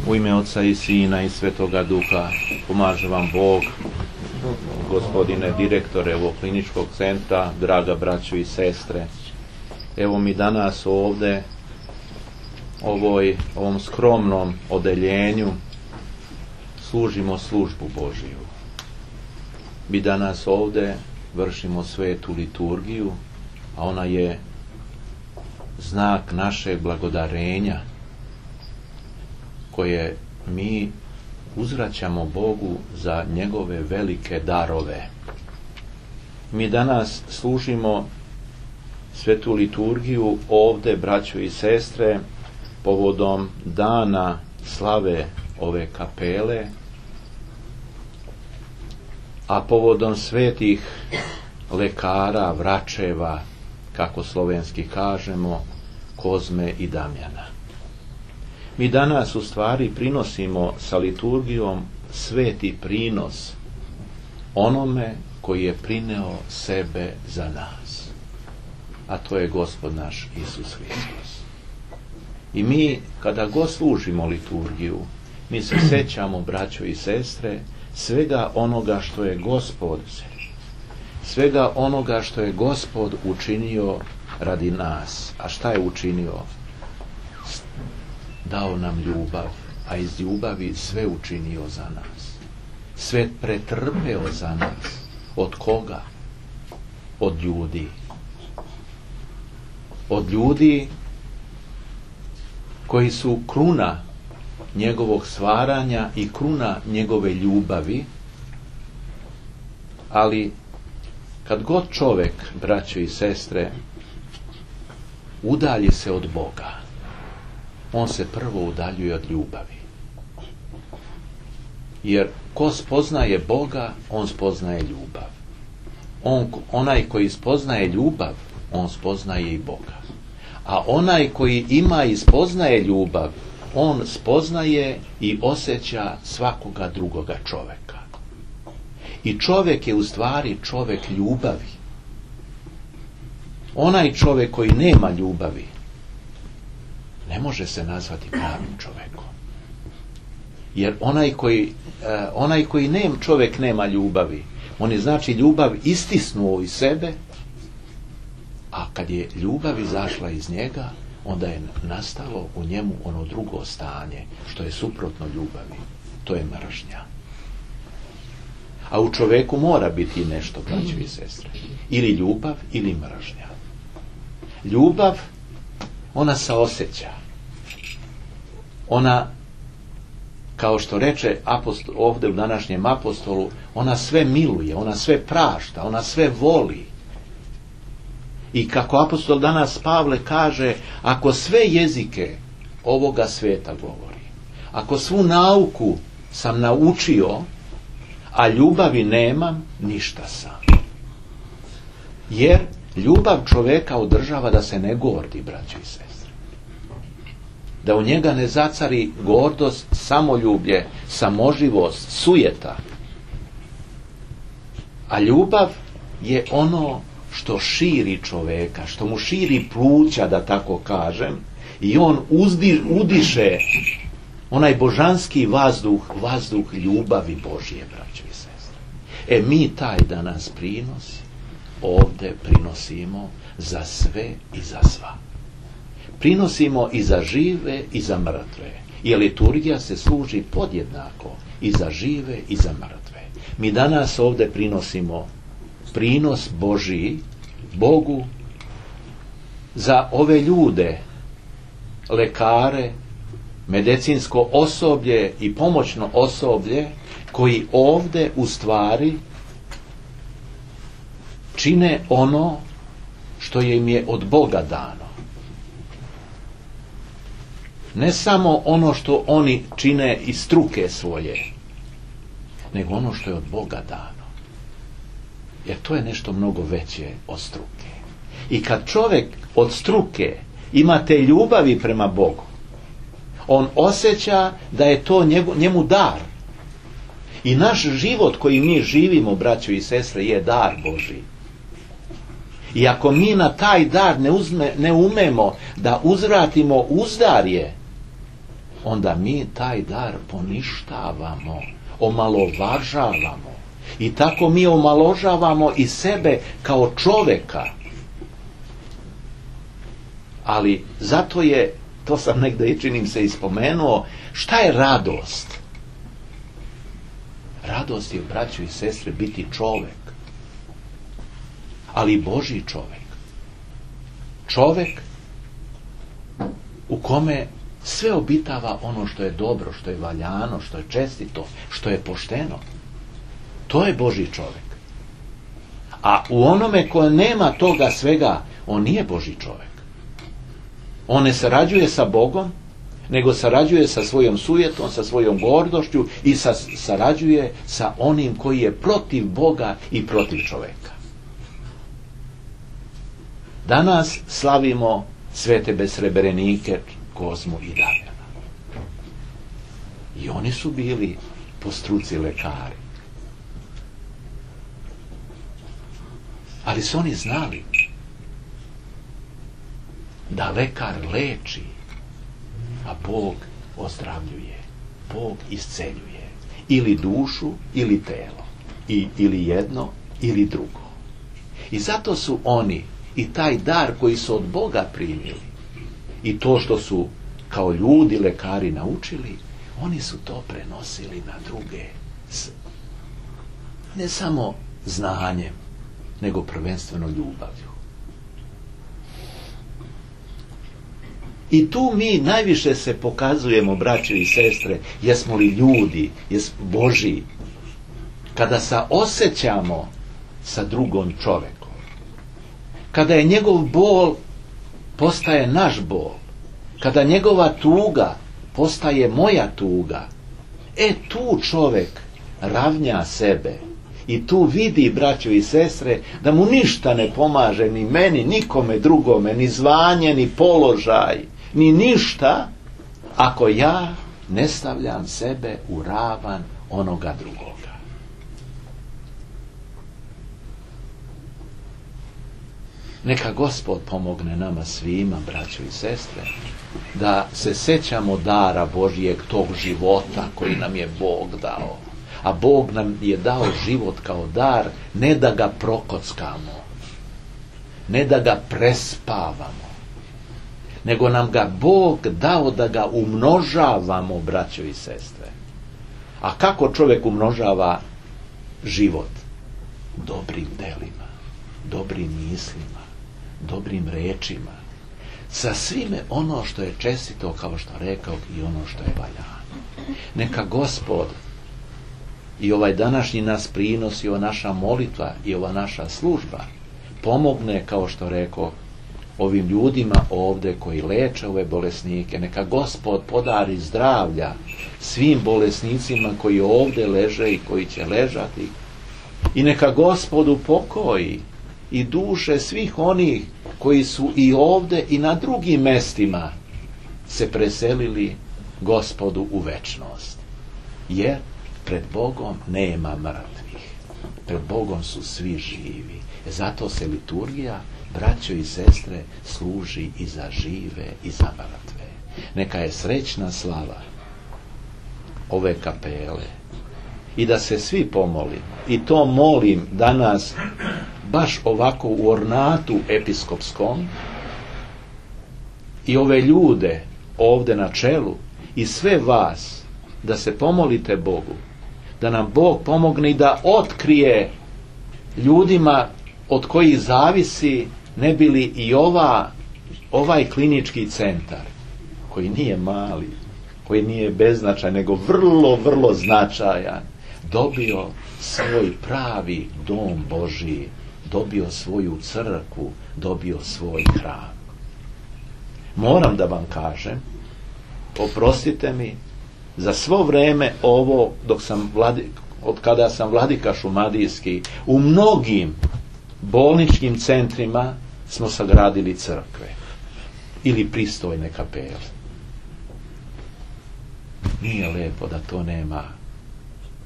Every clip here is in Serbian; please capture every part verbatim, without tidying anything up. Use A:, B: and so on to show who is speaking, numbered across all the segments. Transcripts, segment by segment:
A: U ime Oca i Sina i Svetoga Duha, pomaže vam Bog, gospodine direktore ovog kliničkog centra, draga braćo i sestre. Evo mi danas ovdje, ovoj, ovom skromnom odeljenju, služimo službu Božiju. Mi danas ovdje vršimo svetu liturgiju, a ona je znak našeg blagodarenja koje mi uzvraćamo Bogu za njegove velike darove. Mi danas služimo svetu liturgiju ovdje, braćo i sestre, povodom dana slave ove kapele, a povodom svetih lekara, vračeva, kako slovenski kažemo, Kozme i Damjana. Mi danas u stvari prinosimo sa liturgijom sveti prinos onome koji je prineo sebe za nas, a to je Gospod naš Isus Hristos. I mi, kada god služimo liturgiju, mi se sećamo, braćo i sestre, svega onoga što je Gospod, svega onoga što je Gospod učinio radi nas. A šta je učinio? Dao nam ljubav, a iz ljubavi sve učinio za nas. Sve pretrpeo za nas. Od koga? Od ljudi. Od ljudi koji su kruna njegovog stvaranja i kruna njegove ljubavi, ali kad god čovjek, braćo i sestre, udalji se od Boga, on se prvo udaljuje od ljubavi. Jer ko spoznaje Boga, on spoznaje ljubav. On, onaj koji spoznaje ljubav, on spoznaje i Boga. A onaj koji ima i spoznaje ljubav, on spoznaje i osjeća svakoga drugoga čovjeka. I čovjek je u stvari čovjek ljubavi. Onaj čovjek koji nema ljubavi ne može se nazvati pravim čovjekom. Jer onaj koji, eh, onaj koji nem, čovjek nema ljubavi, on je znači ljubav istisnuo iz sebe, a kad je ljubav izašla iz njega, onda je nastalo u njemu ono drugo stanje, što je suprotno ljubavi. To je mržnja. A u čovjeku mora biti nešto, braćo i sestre. Ili ljubav, ili mržnja. Ljubav, ona saosjeća. Ona, kao što reče apostol, ovdje u današnjem apostolu, ona sve miluje, ona sve prašta, ona sve voli. I kako apostol danas Pavle kaže, ako sve jezike ovoga sveta govori, ako svu nauku sam naučio, a ljubavi nemam, ništa sam. Jer ljubav čovjeka održava da se ne gordi, braćo i sestre. Da u njega ne zacari gordost, samoljublje, samoživost, sujeta. A ljubav je ono što širi čovjeka, što mu širi pluća, da tako kažem, i on uzdi, udiše onaj božanski vazduh, vazduh ljubavi Božije, braćo i sestre. E mi taj danas prinos ovdje prinosimo za sve i za sva. Prinosimo i za žive i za mrtve. I liturgija se služi podjednako i za žive i za mrtve. Mi danas ovdje prinosimo prinos Božiji, Bogu, za ove ljude, lekare, medicinsko osoblje i pomoćno osoblje, koji ovdje u stvari čine ono što im je od Boga dano. Ne samo ono što oni čine iz struke svoje, nego ono što je od Boga dano. Jer to je nešto mnogo veće od struke. I kad čovjek od struke ima te ljubavi prema Bogu, on osjeća da je to njegu, njemu dar. I naš život koji mi živimo, braćo i sestre, je dar Božji. I ako mi na taj dar ne, uzme, ne umemo da uzvratimo uzdarje, onda mi taj dar poništavamo, omalovažavamo. I tako mi omalovažavamo i sebe kao čoveka. Ali zato je, to sam negdje i činim se ispomenuo, šta je radost? Radost je, braćo i sestre, biti čovek. Ali Božji čovek. Čovek u kome sve obitava ono što je dobro, što je valjano, što je čestito, što je pošteno. To je Božji čovek. A u onome koje nema toga svega, on nije Božji čovek. On ne sarađuje sa Bogom, nego sarađuje sa svojom sujetom, sa svojom gordošću i sa, sarađuje sa onim koji je protiv Boga i protiv čoveka. Danas slavimo svete besreberenike Kozmu i Damjana. I oni su bili po struci lekari. Ali su oni znali da lekar leči, a Bog ozdravljuje, Bog isceljuje. Ili dušu, ili telo. I, ili jedno, ili drugo. I zato su oni i taj dar koji su od Boga primili i to što su kao ljudi, lekari naučili, oni su to prenosili na druge. Ne samo znanjem, nego prvenstveno ljubavlju. I tu mi najviše se pokazujemo, braće i sestre, jesmo li ljudi, jesmo Božji, kada saosjećamo sa drugom čovekom. Kada je njegov bol postaje naš bol. Kada njegova tuga postaje moja tuga. E tu čovek ravnja sebe. I tu vidi, braćo i sestre, da mu ništa ne pomaže, ni meni, nikome drugome, ni zvanje, ni položaj, ni ništa, ako ja ne stavljam sebe u ravan onoga drugoga. Neka Gospod pomogne nama svima, braćo i sestre, da se sećamo dara Božijeg, tog života koji nam je Bog dao. A Bog nam je dao život kao dar, ne da ga prokockamo, ne da ga prespavamo, nego nam ga Bog dao da ga umnožavamo, braćo i sestre. A kako čovjek umnožava život? Dobrim delima, dobrim mislima, dobrim rečima, sa svime ono što je čestito, kao što rekao, i ono što je valjano. Neka Gospod i ovaj današnji nas prinos i ova naša molitva i ova naša služba pomogne, kao što rekao, ovim ljudima ovdje koji leče ove bolesnike. Neka Gospod podari zdravlja svim bolesnicima koji ovdje leže i koji će ležati. I neka Gospod upokoji i duše svih onih koji su i ovdje i na drugim mestima se preselili Gospodu u večnost. Jer pred Bogom nema mrtvih. Pred Bogom su svi živi. Zato se liturgija, braćo i sestre, služi i za žive i za mrtve. Neka je srećna slava ove kapele i da se svi pomolimo. I to molim danas baš ovako u ornatu episkopskom i ove ljude ovdje na čelu i sve vas da se pomolite Bogu, da nam Bog pomogne i da otkrije ljudima od kojih zavisi ne bi li i ova, ovaj klinički centar, koji nije mali, koji nije beznačajan, nego vrlo, vrlo značajan, dobio svoj pravi dom Božiji, dobio svoju crkvu, dobio svoj hram. Moram da vam kažem, oprostite mi, za svo vreme ovo, dok sam vladi, od kada sam vladika šumadijski, u mnogim bolničkim centrima smo sagradili crkve ili pristojne kapele. Nije lepo da to nema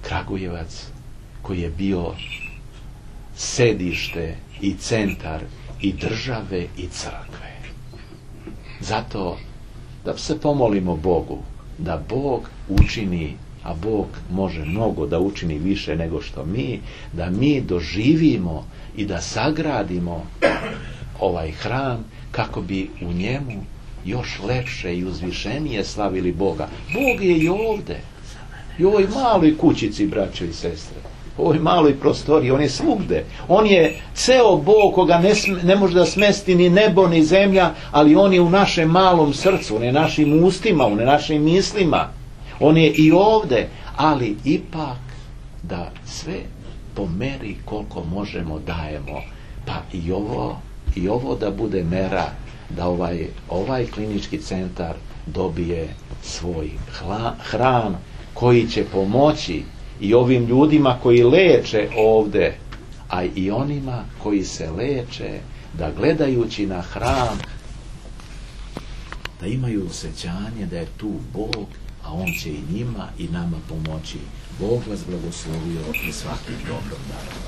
A: Kragujevac, koji je bio sedište i centar i države i crkve. Zato da se pomolimo Bogu da Bog učini, a Bog može mnogo da učini više nego što mi, da mi doživimo i da sagradimo ovaj hram kako bi u njemu još lepše i uzvišenije slavili Boga. Bog je i ovde, i u ovoj maloj kućici, braćo i sestre, u ovoj maloj prostoriji, on je svugde. On je ceo Bog koga ne, ne može da smesti ni nebo ni zemlja, ali on je u našem malom srcu, on je našim ustima, on je našim mislima, on je i ovde, ali ipak da sve po meri koliko možemo dajemo, pa i ovo, i ovo da bude mera da ovaj, ovaj klinički centar dobije svoj hla, hram koji će pomoći i ovim ljudima koji leče ovde, a i onima koji se leče, da gledajući na hram da imaju osjećanje da je tu Bog, a on će i njima i nama pomoći. Bog vas blagoslovio i svakim dobrom darom.